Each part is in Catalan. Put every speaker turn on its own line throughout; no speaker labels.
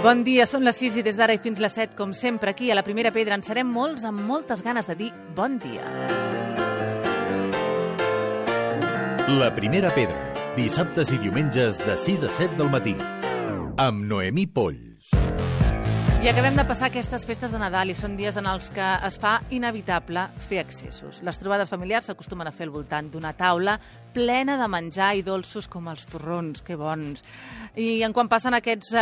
Bon dia, són les 6 i des d'ara i fins les 7, com sempre, aquí a la Primera Pedra en serem molts amb moltes ganes de dir bon dia.
La Primera Pedra, dissabtes i diumenges de 6 a 7 del matí, amb Noemí Polls.
I acabem de passar aquestes festes de Nadal i són dies en els que es fa inevitable fer excessos. Les trobades familiars s'acostumen a fer al voltant d'una taula plena de menjar i dolços com els torrons, que bons. I quan passen aquests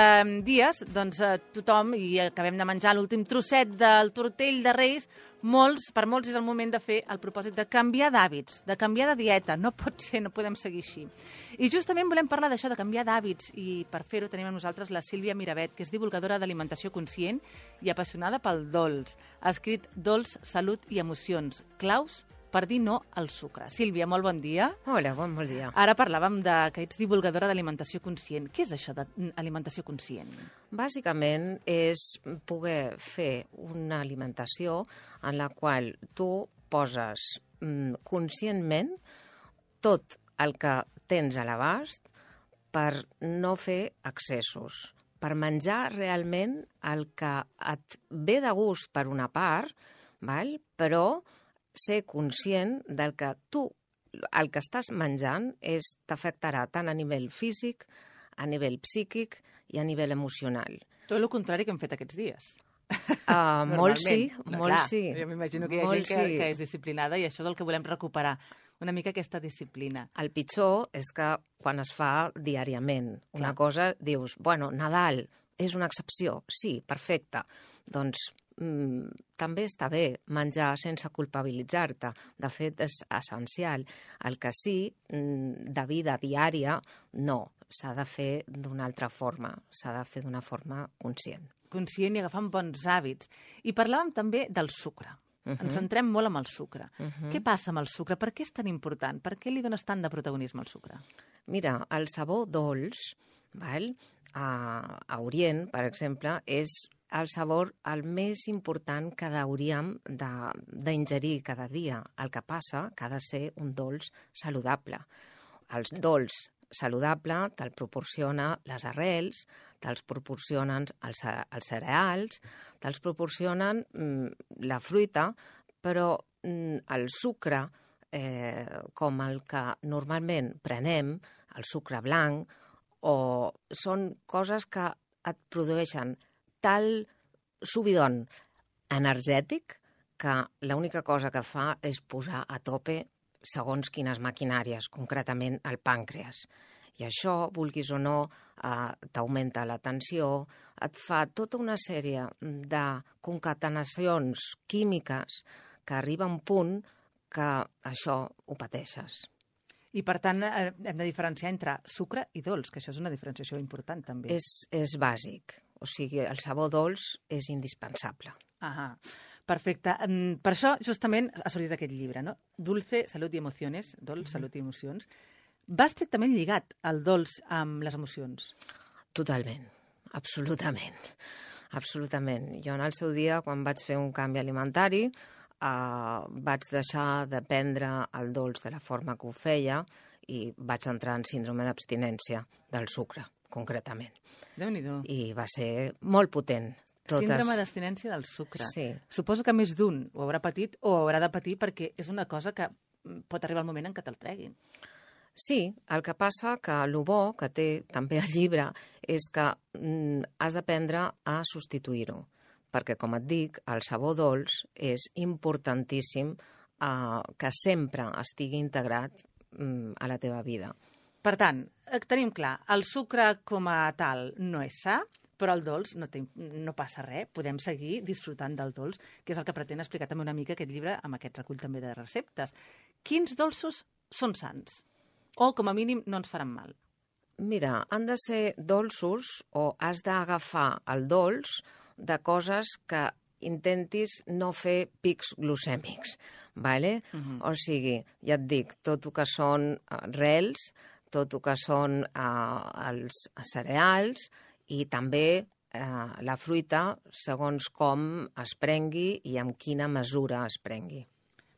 dies, doncs tothom, i acabem de menjar l'últim trosset del tortell de Reis, per molts és el moment de fer el propòsit de canviar d'hàbits, de canviar de dieta. No pot ser, no podem seguir així. I justament volem parlar d'això, de canviar d'hàbits, i per fer-ho tenim amb nosaltres la Sílvia Miravet, que és divulgadora d'alimentació conscient i apassionada pel dolç. Ha escrit Dolç, Salut i Emocions, claus per dir no al sucre. Sílvia, molt bon dia.
Hola, bon dia.
Ara parlàvem que ets divulgadora d'alimentació conscient. Què és això d'alimentació conscient?
Bàsicament és poder fer una alimentació en la qual tu poses conscientment tot el que tens a l'abast per no fer excessos, per menjar realment el que et ve de gust per una part, però ser conscient del que tu, el que estàs menjant, t'afectarà tant a nivell físic, a nivell psíquic i a nivell emocional.
Tot el contrari que hem fet aquests dies.
Molt sí, molt sí.
Jo m'imagino que hi ha gent que és disciplinada i això és el que volem recuperar, una mica aquesta disciplina.
El pitjor és que quan es fa diàriament una cosa, dius, bueno, Nadal és una excepció, sí, perfecte, doncs també està bé menjar sense culpabilitzar-te. De fet, és essencial. El que sí, de vida diària, no. S'ha de fer d'una altra forma. S'ha de fer d'una forma conscient.
Conscient i agafant bons hàbits. I parlàvem també del sucre. Ens centrem molt amb el sucre. Què passa amb el sucre? Per què és tan important? Per què li dones tant de protagonisme al sucre?
Mira, el sabor dolç, a Orient, per exemple, és el sabor el més important que hauríem d'ingerir cada dia. El que passa que ha de ser un dolç saludable. El dolç saludable te'l proporciona les arrels, te'ls proporcionen els cereals, te'ls proporcionen la fruita, però el sucre, com el que normalment prenem, el sucre blanc, són coses que et produeixen tal subidon energètic que l'única cosa que fa és posar a tope segons quines maquinàries, concretament el pàncreas. I això, vulguis o no, t'augmenta la tensió, et fa tota una sèrie de concatenacions químiques que arriba a un punt que això ho pateixes.
I, per tant, hem de diferenciar entre sucre i dolç, que això és una diferenciació important, també.
És bàsic. O sigui, el sabor dolç és indispensable.
Perfecte. Per això, justament, ha sortit aquest llibre, no? Dulce, Salut i Emociones, Dolç, Salut i Emocions. Va estrictament lligat el dolç amb les emocions?
Totalment, absolutament. Absolutament. Jo en el seu dia, quan vaig fer un canvi alimentari, vaig deixar de prendre el dolç de la forma que ho feia i vaig entrar en síndrome d'abstinència del sucre, concretament.
Déu-n'hi-do.
I va ser molt potent.
Síndrome d'abstinència del sucre.
Sí.
Suposo que més d'un ho haurà patit o haurà de patir perquè és una cosa que pot arribar el moment en què te'l treguin.
Sí, el que passa que el bo que té també el llibre és que has d'aprendre a substituir-ho. Perquè, com et dic, el sabor dolç és importantíssim que sempre estigui integrat a la teva vida.
Per tant, tenim clar, el sucre com a tal no és sa, però el dolç no passa res, podem seguir disfrutant del dolç, que és el que pretén explicar també una mica aquest llibre amb aquest recull també de receptes. Quins dolços són sants? O, com a mínim, no ens faran mal?
Mira, han de ser dolços o has d'agafar el dolç de coses que intentis no fer pics glucèmics, ¿vale? O sigui, ja et dic, tot el que són rels, tot el que són els cereals i també la fruita segons com es prengui i amb quina mesura es prengui.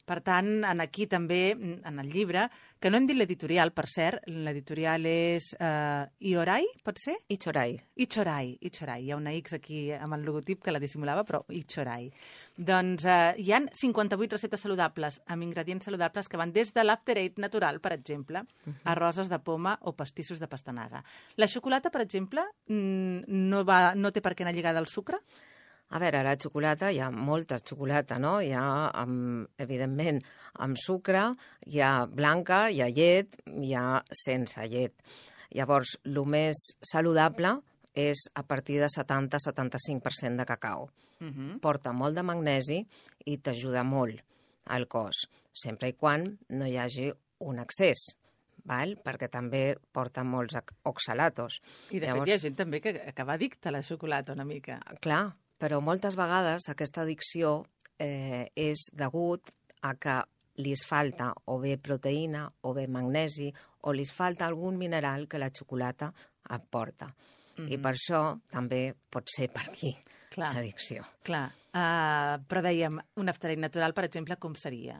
Per tant, aquí també, en el llibre, que no hem dit l'editorial, per cert, l'editorial és Iorai, pot ser?
Ichorai.
Ichorai. Hi ha una X aquí amb el logotip que la dissimulava, però Ichorai. Doncs hi han 58 receptes saludables amb ingredients saludables que van des de l'After Eight natural, per exemple, a roses de poma o pastissos de pastanaga. La xocolata, per exemple, no té per què anar lligada al sucre?
A veure, la xocolata, hi ha molta xocolata, no? Hi ha, evidentment, amb sucre, hi ha blanca, hi ha llet, hi ha sense llet. Llavors, el més saludable és a partir de 70-75% de cacau. Porta molt de magnesi i t'ajuda molt al cos, sempre i quan no hi hagi un excés, perquè també porta molts oxalatos.
I de fet hi ha gent també que acaba addicta a la xocolata una mica.
Clar, però moltes vegades aquesta addicció és degut a que li falta o bé proteïna o bé magnesi o li falta algun mineral que la xocolata aporta. I per això també pot ser per aquí l'addicció.
Clar, però dèiem, un After Eight natural, per exemple, com seria?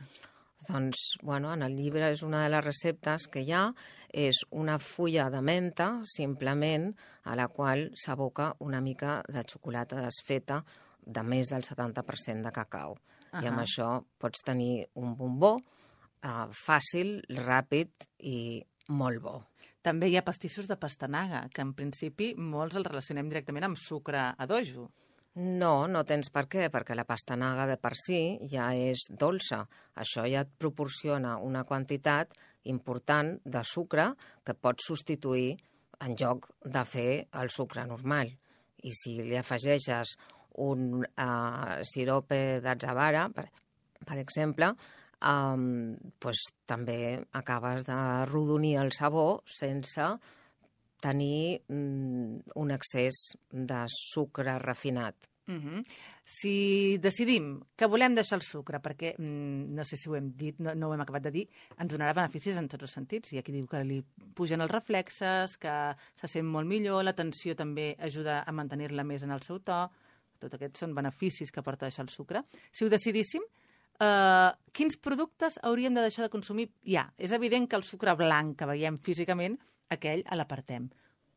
Doncs, en el llibre és una de les receptes que hi ha, és una fulla de menta, simplement, a la qual s'aboca una mica de xocolata desfeta de més del 70% de cacau. I amb això pots tenir un bombó fàcil, ràpid i molt bo.
També hi ha pastissos de pastanaga, que en principi molts els relacionem directament amb sucre a dojo.
No, no tens per què, perquè la pastanaga de per si ja és dolça. Això ja et proporciona una quantitat important de sucre que pots substituir en lloc de fer el sucre normal. I si li afegeixes un sirope d'atzavara, per exemple, doncs també acabes de rodonir el sabor sense tenir un excés de sucre refinat.
Si decidim que volem deixar el sucre, perquè no sé si ho hem dit, no ho hem acabat de dir, ens donarà beneficis en tots els sentits. Hi ha qui diu que li pugen els reflexes, que se sent molt millor, la tensió també ajuda a mantenir-la més en el seu to. Tots aquests són beneficis que porta deixar el sucre. Si ho decidíssim, quins productes hauríem de deixar de consumir? Ja, és evident que el sucre blanc que veiem físicament, aquell l'apartem.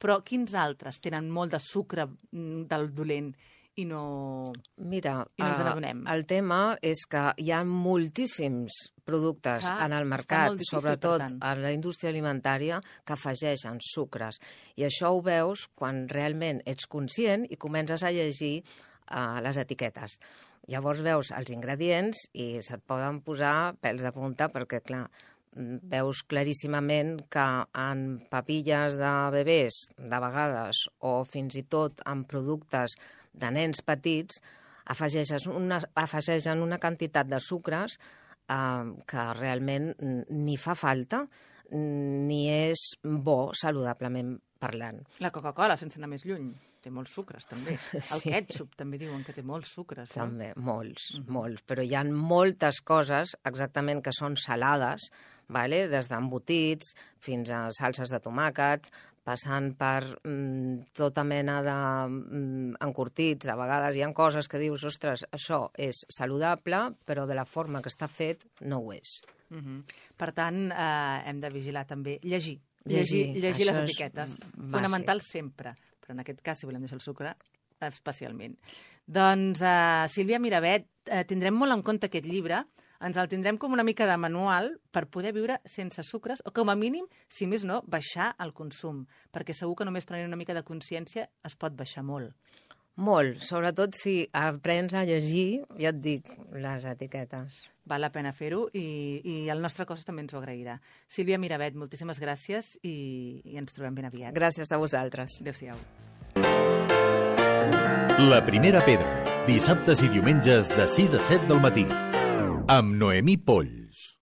Però quins altres tenen molt de sucre del dolent i no ens n'adonem?
El tema és que hi ha moltíssims productes en el mercat, sobretot en la indústria alimentària, que afegeixen sucres. I això ho veus quan realment ets conscient i comences a llegir les etiquetes. Llavors veus els ingredients i se't poden posar pèls de punta perquè, clar, veus claríssimament que en papilles de bebès, de vegades, o fins i tot en productes de nens petits, afegeixen una quantitat de sucres que realment ni fa falta ni és bo saludablement parlant.
La Coca-Cola, sense anar més lluny, té molts sucres, també. El ketchup també diuen que té molts sucres.
També, molts. Però hi ha moltes coses exactament que són salades, des d'embotits fins a salses de tomàquet, passant per tota mena d'encurtits. De vegades hi ha coses que dius, ostres, això és saludable, però de la forma que està fet no ho és.
Per tant, hem de vigilar també. Llegir les etiquetes. Fonamental sempre. Però en aquest cas, si volem deixar el sucre, especialment. Doncs, Sílvia Miravet, tindrem molt en compte aquest llibre, ens el tindrem com una mica de manual per poder viure sense sucres, o com a mínim, si més no, baixar el consum, perquè segur que només prenent una mica de consciència es pot baixar molt.
Molt, sobretot si aprens a llegir, ja et dic, les etiquetes.
Val la pena fer-ho i el nostre cos també ens ho agrairà. Sílvia Miravet, moltíssimes gràcies i ens trobem ben aviat.
Gràcies a vosaltres.
Adéu-siau.
La primera pedra, dissabtes i diumenges de 6 a 7 del matí, amb Noemí Polls.